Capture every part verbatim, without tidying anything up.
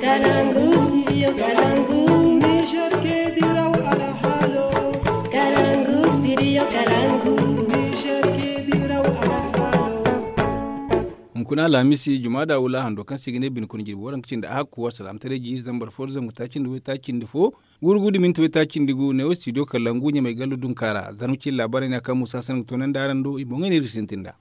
Kalangu, studio Kalangu. Niger ke diraw alhalo. Kalangu, studio Kalangu. Niger ke diraw alhalo. Hunkuna alhamisi jumada wula hando kaŋ se i ga ne bine kuna jirbi waranka cindi a hakku wa salaamataray jiiri zambar fo da zangu taaci nda way taaci nda fo. Gurgu da minti way taaci nda gu ne wo studio Kalangu ɲamay gallo dunka ra zarma cine laabaarey no ya kaŋ muusa sanda ga toonandi araŋ do i boŋey no iri ga sintin nd'a.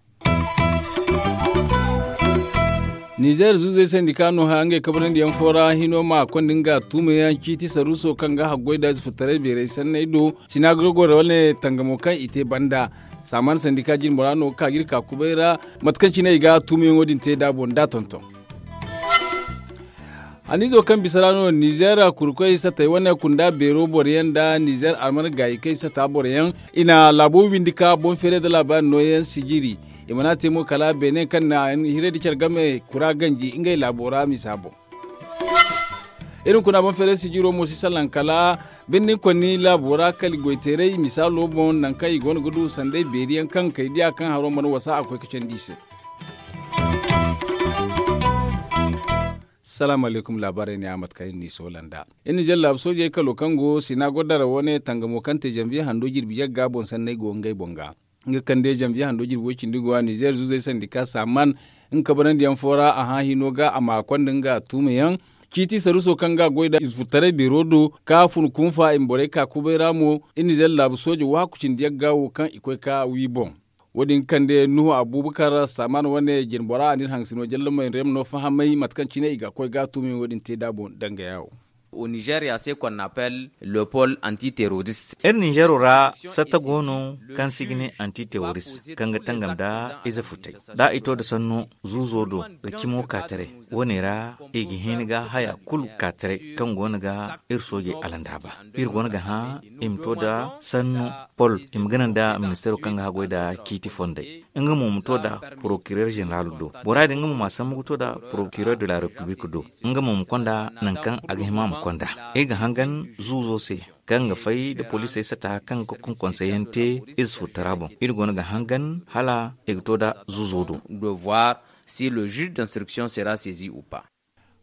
Nizeer zuuzey sandika no hã ngey kabarandiyaŋ fo ra hino ma konda nga tuumayaŋ ciiti saruuso kaŋ ga haggoy da zufutaray beeray sanney do sinaagogor wane tangamo kaŋ i te banda. Saaman sandika jine bora no ga ka ga iri ka kubay ra mate kaŋ cine i ga tuumayaŋo din te da boŋ da tonton. Haniizo kaŋ bisa ra no nizeer kurkoy satay wane kunda beero boroyaŋ nda nizeer alman gaayikey sata boroyaŋ i na laabo windi ka boŋ feeray nda laabaari nooyaŋ sijiri. I mana te mo kala beene kaŋ na hiray nda care game kura ganji ngey laabo ra misa boŋ. Iri hunkuna boŋ feeray sijiro mo si salaŋ kala birnin konni laabo ra kala goyteeray misaalo boŋ nangu kaŋ i go no ga du sanday beeriyaŋ kaŋ kay diya kaŋ haro mana wasa a koy ga candi i se. Salaamu alaykum laabaarey ne a mate kaŋ iri n'i soola nd'a. Iri nizeer laabu soojey kalo kaŋ go sinaagor dara wane tangamo kaŋ te zanviye hando jirbi yagga boŋ sanney go ngey boŋ ga. Nga kaŋ day zanviye hando jirbi way cindi go a nizeer zuuzey sandika saaman nga kabarandiyaŋ fo ra a hã hino ga a ma konda nga tuumayaŋ. Ciiti saruuso kaŋ ga a goy nda ize furtaray beero do ka fun kunfa i ma borey ka kubay ra mo. Iri nizeer laabu sooje waaku cindi yagga wo kaŋ i koy ka wi boŋ. Wo- din ga kande nuhu abuubakar saaman wane jine bora a n'iri hangasino jallamey rem no fahamay mate kaŋ cine i ga koy ga a tuumayaŋ wo- din te nd'a boŋ dangaya wo. Au nigeria se qu'on appelle le pôle antiterroriste. Iri ninzeero ra satta go no kaŋ se i ga ne antiterroriste kaŋ ga tangam nda ize futay da i to nda sanno zuuzo do ga cimo ka taray. Wo- ne ra i ga hin ga haya kulu ka taray kaŋ go no ga iri soojey alandaaba. Iri go no ga hã i ma to nda sanno pol i ma gana nda ministeero kaŋ ga haggoy nda ciiti fondey. Nga mo ma to nda porokirer ženeral do. Bora din nga mo ma sambu ga to nda porokirer de la repiblik do. Nga mo ma konda nangu kaŋ a ga hima ma konda. Iri ga hangan zuuzo se kaŋ ga fay nda poliisey sata kaŋ ga konkonseyaŋ te ize furtara boŋ. Iri go no ga hangan hala i ga to nda zuuzo do. De voir si le juge d'instruction sera saisi ou pas.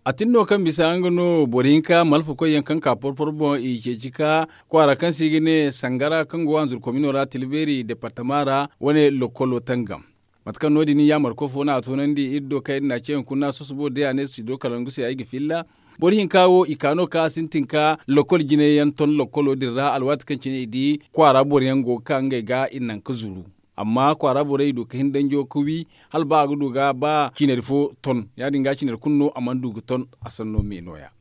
A tin no kaŋ bisa nga no boro hinka malfakoyyaŋ kaŋ ka porporo boŋ i ceeci ka kwaara kaŋ se i ga ne sangara kaŋ go hanzur komino ra tilbeeri departama ra wane lokolo tangam. Mate kaŋ no- din yaamar koy fo no a toonandi iri do kaŋ iri n'a ce hunkuna sosobo day a ne si do kalangu se ay ga filla. Boro hinka wo i ka no kaŋ a sintin ka lokol jine yaŋ ton lokolo din ra alwaati kaŋ cine i di kwaara boro yaŋ go ga ka ngey ga i naŋ ga zuru. Amma kwaara borey i du ga hin danjo ga wi hala ba a ga du ga ba ciinari fo ton ya- din ga ciinari kulu no a mana du ga ton. A sanno me no- ya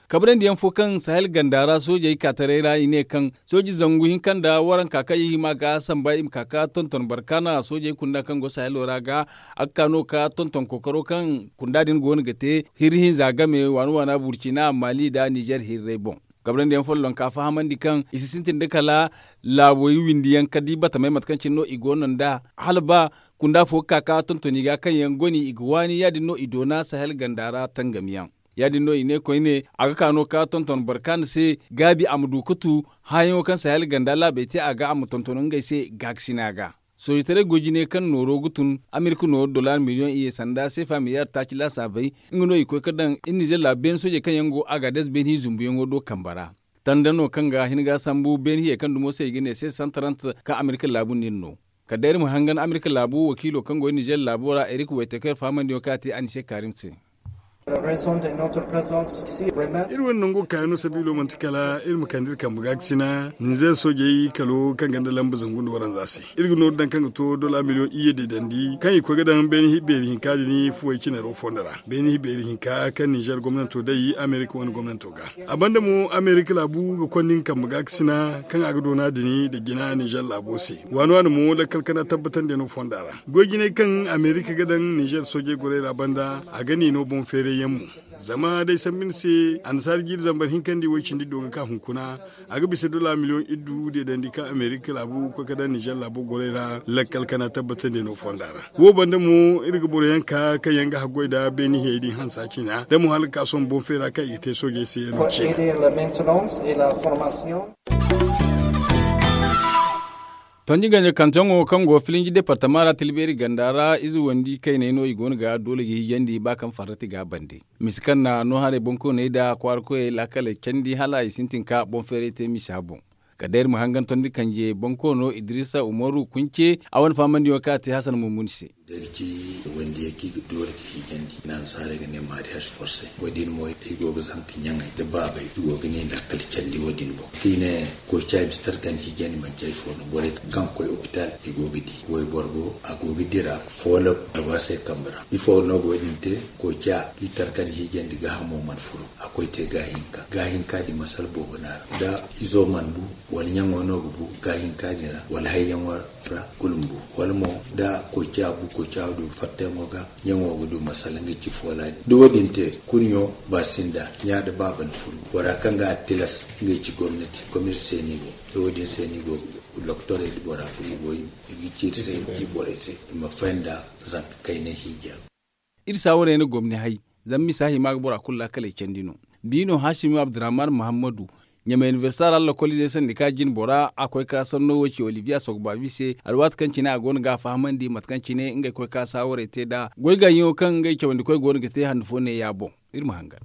kabrandi yaŋ fo kaŋ sahel ganda ra soojey ka taray ra i ne kaŋ sooji zangu hinka nda waranka kaŋ i hima ga samba i ma ka ga tonton barkaana soojey kunda kaŋ go sahelo ra ga a ga ka no ga tonton kookaro kaŋ kunda din go no ga te hirri hinza game waana waana burcina maali nda nizer hirrey boŋ. Kabrandi yaŋ folloŋ ka fahamandi kaŋ i si sintin da kala laabo i windi yaŋ ka di batamey mate kaŋ cine no i go no nd'a hala ba kunda fo ga ka ga tonton i ga kaŋ yaŋ goni i ga waani ya- din no i doona sahel ganda ra tangam yaŋ. Ya- din no i ne koyne a ga ka no ga tonton boro kaŋ a na se gaabi a ma du ga tu hããyaŋo kaŋ sahel ganda laabey te a ga a ma tonton ngey se gaakasina ga. Soojitaray goy jine kaŋ nooro ga tun amerika nooru dollar miliyoŋ iyye sanda seefa miliyar taaci laasaabey. Nga no i koy ga daŋ iri nizer laabu beene soojey kaŋ yaŋ go agades beene hi zumbuyaŋo do kambe ra. Tanda no kaŋ ga hin ga sambu beene hiyey kaŋ dumo se i ga ne se santarant kaŋ amerika laabu no iri no. Kala day iri ma hangan amerika laabu wakiilo kaŋ go iri nizer laabo ra erik wayteker fahamandiyaŋo kaŋ a te a ni se kaarim se. Iri wane nango kaayaŋo sabiilo manti kala iri ma kande iri kambe gaakasina ninzeer soojey kalo kaŋ ganda lamba zangu nda waranza se. Iri ga nooru daŋ kaŋ ga to dola miliyoŋ iyye deedandi kaŋ i koy ga daŋ beene hi beeri hinka din fuwey cinaro fondo ra beene hi beeri hinka kaŋ ninzeer gomnanto day amerika wane gomnanto ga. A banda mo amerika laabu ga konda nga kambe gaakasina kaŋ a ga doona din nda jina ninzeer laabo se. Waani waani mo lakkal kana tabbatandiyaŋo fonda ra goy jinay kaŋ amerika ga daŋ ninzeer soojey gorey ra banda a ga ni no boŋ feerayyaŋ mo. Zama day sambu ni se annasaara jiiri zambar hinkandi way cindi do ga ka hunkuna a ga bisa dola miliyoŋ iddu deedandi kaŋ amerika laabu koy ga daŋ ninzeer laabo gorey ra lakkal kana tabbatandiyaŋo fonda ra. Wo banda mo iri ga boro yaŋ ka kaŋ yaŋ ga haggoy nda beene hiyey din hansa cina da mo hala ga ka sohõ boŋ feera kaŋ i ga te soojey se yaŋ no cina. Tonji ganja kantaŋo kaŋ go filinji departama ra tilbeeri ganda ra ize wandi kayney no i go no ga doole ga hijandi ba kaŋ farrati ga a bande. Misa kaŋ na no haray boŋkooney nda kwaara koyey laakaley candi hala i sintin ka boŋ feeray te misa boŋ. Kala day iri ma hangan tondi kanje boŋkoono idirisa umaru kunce a wane fahamandiyaŋo kaŋ a te hasan mumuni se. Day ga ci wandi yaŋ kaŋ i ga doole ga hijandi i na annasaarey ga ne maariyaaz forse wo- din mo i go ga zanka ɲaŋey da baabey i go ga ne nda kala candi wo- din boŋ kaŋ i ne koy caayi bisa tarkandi hijandi manci hari fo no borey kaŋ ga koy opitaal i go ga di wayboro go a go ga dira foolo a go a se kambe ra ifo no go- din te koy caayi i tarkandi hijandi gaahamo mana furo a koy te gaahinka gaahinka din masala boobo no a ra da izo mana bu wala ɲaŋo no ga bu gaahinka din ra wala hayyaŋo ra kulu ma bu wala mo da koy caayi bu koy caayi du fattayaŋo ga ɲaŋo ga du masala ngey ci foola din da wo- din te kuniyo ba sinda ɲa da baaba na furu bora kaŋ ga a tilas ngey ci gomnati gomnati se no i go da wo- din se no i go ga doktorey da bora kulu i go i ga ci iri se i ma ci borey se i ma faham nda zanka kayna hiija. Iri saawarey na gomni hay zama misa hima ga bora kulu laakaley candi no. Biino haasimi abdurrahman muhammadu ɲamay inibersita ra lakkol izey sandi ka jine bora a koy ka sanno wo ci oliviya sogbabi se alwaati kaŋ cine a go no ga a fahamandi mate kaŋ cine ngey koy ka saawarey te nd'a goy gaayaŋo kaŋ ngey cawandikoy go no ga te handu fo neeya boŋ. Iri ma hangan.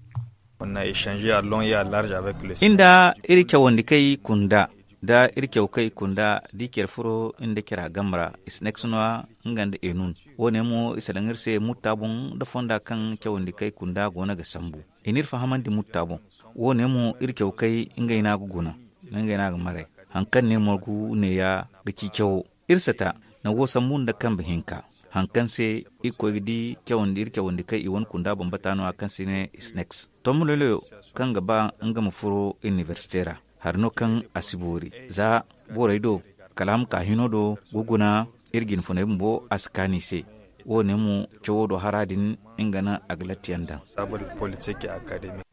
Iri nda iri cawandikey kunda da iri caw kay kunda da i care furo iri nda care a game ra i si ne ka si no a nga nda enun. Wo- ne mo i salaŋ iri se mutta boŋ nda fonda kaŋ cawandi kay kunda go no ga sambu i n'iri fahamandi mutta boŋ. Wo- ne mo iri caw kay ngey no a ga guna ngey no a ga maray. Hari kaŋ no iri margu neeya ga ci cawo iri sata nango sambu nda kambe hinka. Hari kaŋ se iri koy ga di cawandi iri cawandi kay i wane kunda bambata no- ya kaŋ se i ne snakes tombo loyloyo kaŋ ga ba nga ma furo inibersite ra. Hari no kaŋ a si boori za borey do kala a ma ka hino do ga guna iri jinfuney bumbo a si kaanu i se. Wo- ne mo cawo do hara din nga no a ga latti yaŋ daŋ.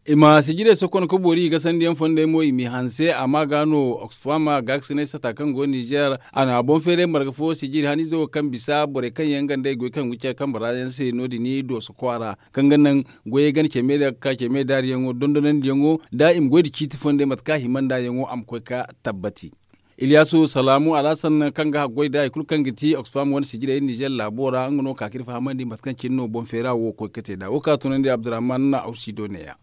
I ma sijirey sokon ka boori i ga sandiyaŋ fondey mo i m'i hanse amma ga no oxfam gaakasinay sata kaŋ go nizer a na boŋ feeray marga fo sijiri haniizo kaŋ bisa borey kaŋ yaŋ ganda i goy kaŋ ga care kambe ra yaŋ se no- din dooso kwaara kaŋ ga naŋ goyey gana ceme da ga ka ceme daariyaŋo dondonandiyaŋo nda i ma goy nda ciiti fondey mate kaŋ a hima nd'a yaŋo a ma koy ka tabbati. Iliyaasu salaamu alhasan kaŋ ga haggoy nda hari kulu kaŋ ga ti oxfam wane sijirey nizer laabo ra nga no ka ga iri fahamandi mate kaŋ cine no boŋ feera wo koy ga te nd'a wo kaŋ a tunandi abdurrahman awsido neeya.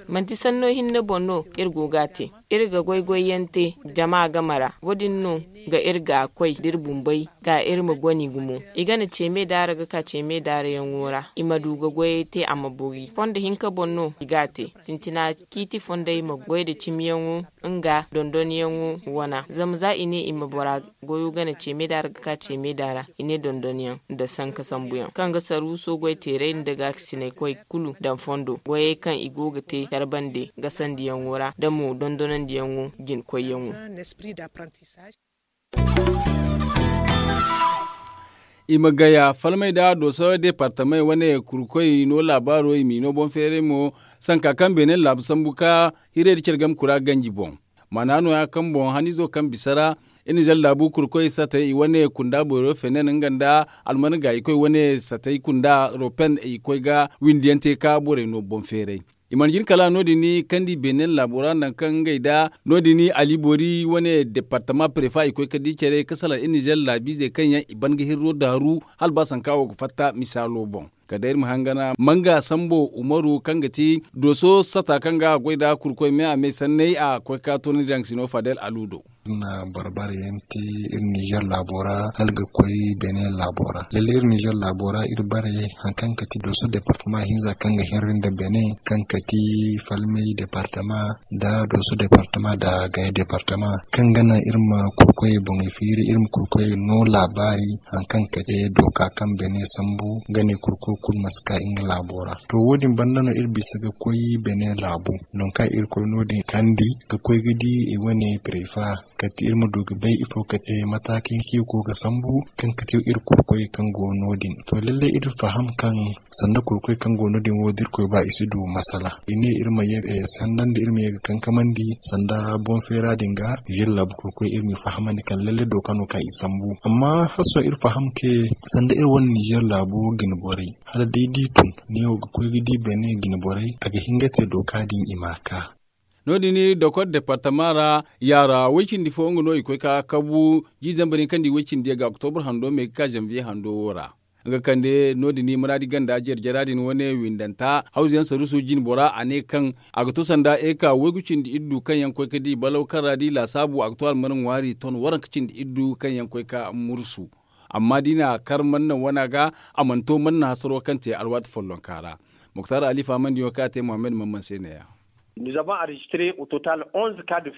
Manti sanno hinne boŋ no iri go ga a te. Iri ga goy-goy yaŋ te jama game ra wo- din no ga iri ga koy da iri bumbey ga iri ma goni gumo. I gana ceeme daara ga ka ceeme daara yaŋo ra i ma du ga goyey te a ma boori fondo hinka boŋ no i ga a te. Sintina ciiti fondey ma goy nda cimiyaŋo nga dondonyaŋo wana zama za i ne i ma bora goyo gana ceeme daara ga ka ceeme daara i ne dondonyaŋ nda sanka sambuyaŋ kaŋ ga saruuso goy teeray nda gaakasinay koy kulu daŋ fondo goyey kaŋ i go ga te care bande gasandiyaŋo ra da mo dondonandiyaŋo jinkoyyaŋo. I ma gaya falmey nda dooso deepartamey wane kurkoy no laabaaro i m'i no boŋ feeray mo sanka kaŋ beene laabu sambu ka hirey nda care game kura ganji boŋ. Maana no- ya kaŋ boŋ haniizo kaŋ bisa ra iri na zalla laabu kurkoy satey i wane kunda boyro fenen nga nda alman gaayikoy wane satey kunda ropen i koy ga windiyaŋ te ka borey no boŋ feeray. I mana jin kala no- din kandi beenen laabo ra nangu kaŋ ngey nda no- din ali boori wane departama prefa i koy ka di care ka salaŋ iri nizer laabiizey kaŋ yaŋ i ban ga hirro daaru hala ba sanka wo ga fatta misaalo boŋ. Kala day iri ma hangana manga sambo umaru kaŋ ga ti dooso sata kaŋ ga a goy nda kurkoy me a me sanney a koy ka toonandi daŋ sino fadel alu do. Iri na boro bare yaŋ te iri nizer laabo ra hala ga koy benin laabo ra lalle iri nizer laabo ra iri bare hari kaŋ ga ti dooso departama hinza kaŋ ga hinri nda benin kaŋ ga ti falmey departama nda dooso departama nda gaya departama kaŋ ga naŋ iri ma kurkoyey boŋey fiiri iri ma kurkoyey no laabaari hari kaŋ ga te dooka kaŋ benin sambu ga ne kurkoy kulu ma si ka nga laabo ra. To wo- din banda no iri bisa ga koy benin laabu nangu kaŋ iri koy no- din kandi ga koy ga di i wane prefa kala ti iri ma du ga bay ifo kala ti mataaki hinka iri go ga sambu kaŋ ga ti iri kurkoy kaŋ go no- din. To lalle iri faham kaŋ sanda kurkoy kaŋ go no- din wo da iri koy ba i si du masala i ne iri ma ye sanda nda iri ma ye ga kankamandi sanda boŋ feera din ga nizer laabu kurkoy iri ma i fahamandi kaŋ lalle dooka no kaŋ i sambu amma hala sohõ iri faham kaŋ sanda iri wane nizer laabu jine borey hala da ay di tun neewo ga koy ga di benin jine borey a ga hin ga te dooka din i ma a ka. No- din dokor departama ra, yaara way- cindi fo nga no i koy ka kabu jiizambar hinka nda i way- cindi yaŋ ga oktobur hando me ga ka zanviye hando wo ra. Nga kande no- din muraadi ganda jare-jara din wane windanta hawzu yaŋ saruusu jine bora a ne kaŋ a ga to sanda eka waygu cindi iddu kaŋ yaŋ koy ga di balaw kaŋ ra di laasaabu a ga to almana ŋwaari ton waranka cindi iddu kaŋ yaŋ koy ga mursu. Amma da i na kar manna wana ga, a mana to manna hasaro kaŋ te alwaati follonka ra. Muktar ali faamandiyaŋo kaŋ a te muhammad mamman se ne- ya.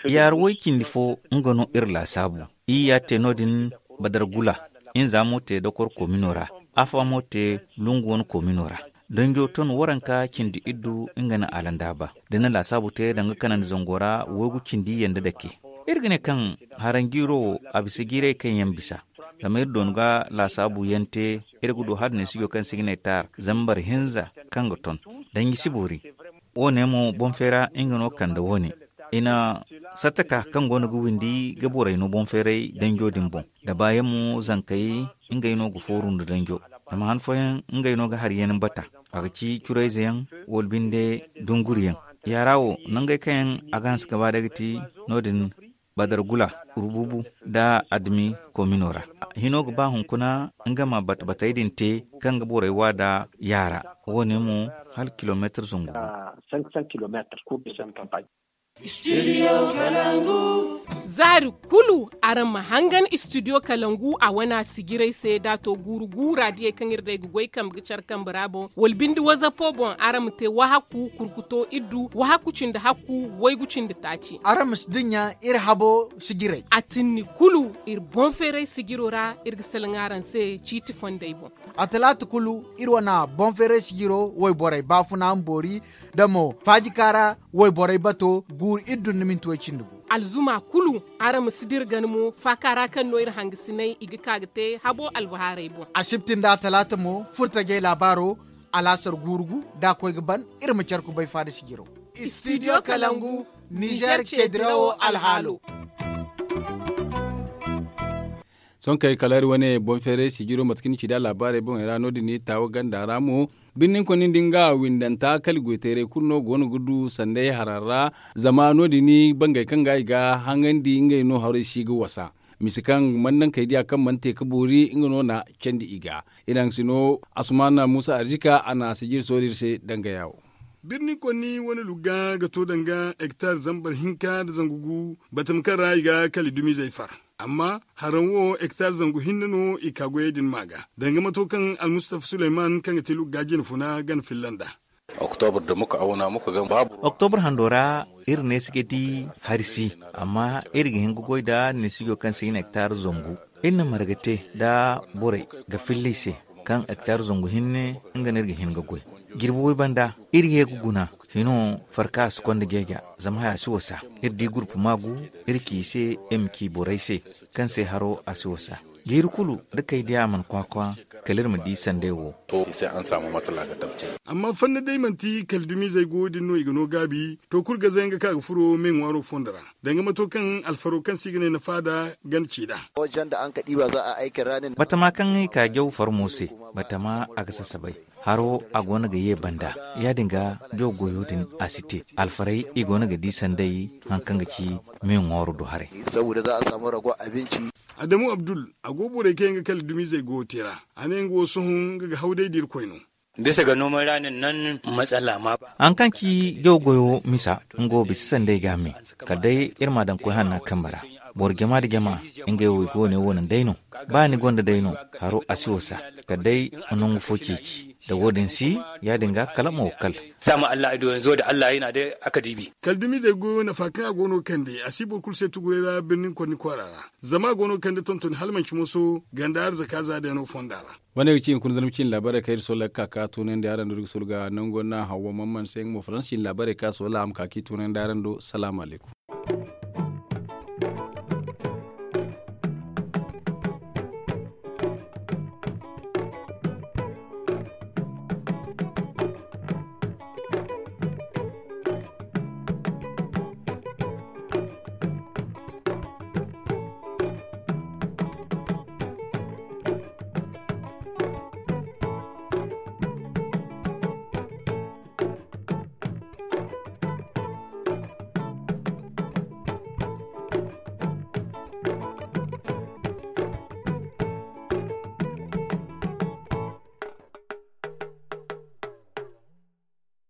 Yaara way- cindi fo nga no iri laasaabu. Iyya te no- din badargula, hinza mo te dokor koomino ra, afa mo te lungu wane koomino ra. Danjo ton waranka cindi iddu nga na alandaaba da ni laasaabu te danga kanandi zango ra waygu cindi yanda dake. Iri ga ne kaŋ haranjiiro wo a bisa jiiray kaŋ yaŋ bisa. Zama iri doonu ga laasaabu yaŋ te, iri ga du hala neesijo kaŋ se i ga ne taar zambar hinza kaŋ ga ton. Danji si boori. Wo- ne mo boŋ feera nga no kande wo- ne i na sattaka kaŋ go no ga windi ga borey no boŋ feeray danjo din boŋ. Da baayaŋ mo zankey ngey no ga fooru nda danjo. Zama han fooyaŋ ngey no ga hari yaŋ bata. A ga ci curayze yaŋ wala binde dunguri yaŋ. Yaara wo nangey kaŋ yaŋ a ga hanse ga ba day ga ti no- din badargula, rububu nda adami koomino ra. Hino ga ba hunkuna nga ma bate-batey din te kaŋ ga borey wa nda yaara. Wo- ne mo hala kilomeetar zangu gu. Zaari kulu araŋ ma hangan istidiyo kalangu a wana sijiray se da a to guuru gu raadiyey kaŋ iri day ga goy kambe ga care kambe ra boŋ wala binde wazapo boŋ araŋ ma te wahakku kurkuto iddu wahakku cindi hakku waygu cindi taaci. Araŋ ma si dinya iri habo sijiray. A tinni kulu iri boŋ feeray sijiro ra iri ga salaŋ araŋ se ciiti fondey boŋ. A talaata kulu iri wana boŋ feeray sijiro wayborey baafuna ma boori da mo faajikaara wayborey bato guuru iddu nda minti way cindi gu. Alzuma kulu araŋ ma si dira gana mo faaka ra kaŋ no iri hangasinay i ga ka ga te habo albahaarey boŋ. Asibti nda a talaata mo furtajey laabaaro alaasar guuru gu da a koy ga ban iri ma care kubay faada sijiro. Istidiyo kalangu nizer ceedirawo alhaalo. Sohõ kay kala iri wane boŋ feeray sijiro mate kaŋ ni ci da laabaarey boŋey ra no- din ni taawa ganda ra mo birninkonni nda nga windanta kala goyteeray kulu no go no ga du sanday haran ra. Zama no- din bangey kaŋ ga i ga haŋandi ngey no haray si ga wasa. Mise kaŋ mannankey diya kaŋ mana te ga boori nga no na candi i ga. Iri haŋ si no asumaana muusa arzika a na sijiri soori iri se danga yaawo. Birninkonni wane lugga ga to danga hektar zambar hinka nda zangu gu batama kaŋ ra i ga kala dumizey far. Amma haraŋ wo hektar zangu hinne no i ka goyey din ma ga danga mato kaŋ almustafa suleyman kaŋ ga te lugga jine funa gana filla nd'a. Oktobur hando ra iri neesi ga di hari si. Amma iri ga hin ga goy nda neesijo kaŋ se i na hektar zangu. Iri na marga te nda borey ga filla i se kaŋ hektar zangu hinne nga no iri ga hin ga goy. Jirbi way banda iri ye ga guna hino farka a si konda jeeja. Zama haya si wasa iri di gurpu maagu iri ci i se i ma ci borey se kaŋ se haro a si wasa. Jiiri kulu da kay diya a mana kwaakwa kala iri ma di sanday wo. Amma fanna day manti kala dumizey go din no i ga no gaabi to kulu gazayaŋ ga ka ga furo me ŋwaaro fondo ra danga mato kaŋ alfaro kaŋ se i ga ne na faada gana ci nd'a. Batama kaŋ i ka jaw farmo se batama a ga sasabay. Haro a go no ga ye banda ya- din ga jaw goyo din a si te. Alfaray i go no ga di sanday haŋ kaŋ ga ci me ŋwaaro do haray. Adamu abdul a go borey kaŋ yaŋ ga kala dumizey go te ra. A ne nga wo sohõ nga ga haw day da irkoy no. Bisa ga noomay ra nin nan matsala ma ba. Haŋ kaŋ ci jaw goyo misa nga wo bisa sanday ga me. Kala day iri ma a daŋ koy hanna kambe ra. Boro jama nda jama ngey wo i ga wane wo naŋ day no. Ba ni gonda day no haro a si wasa. Kala day ma nangu fo ceeci da wo- din si ya- din ga kala ma wo kal. Sama allah ay do yanzu da allah yana day a ka diibi. Kala dumizey goyo nafa kaŋ a go no kande a si boro kulu se tuguray ra birnin konni kwaara ra. Zama a go no kande tontoni hala manci moso ganda arzaka za day no fonda ra. Wane ga ci hunkuna zarma ciine laabaarey kaŋ iri sola ga ka ka toonandi araŋ do iri ga sola ga nango na hawwa mamman se nga mo faransa ciine laabaarey kaŋ a sola a ma ka ka i toonandi araŋ do salaamu alaykum.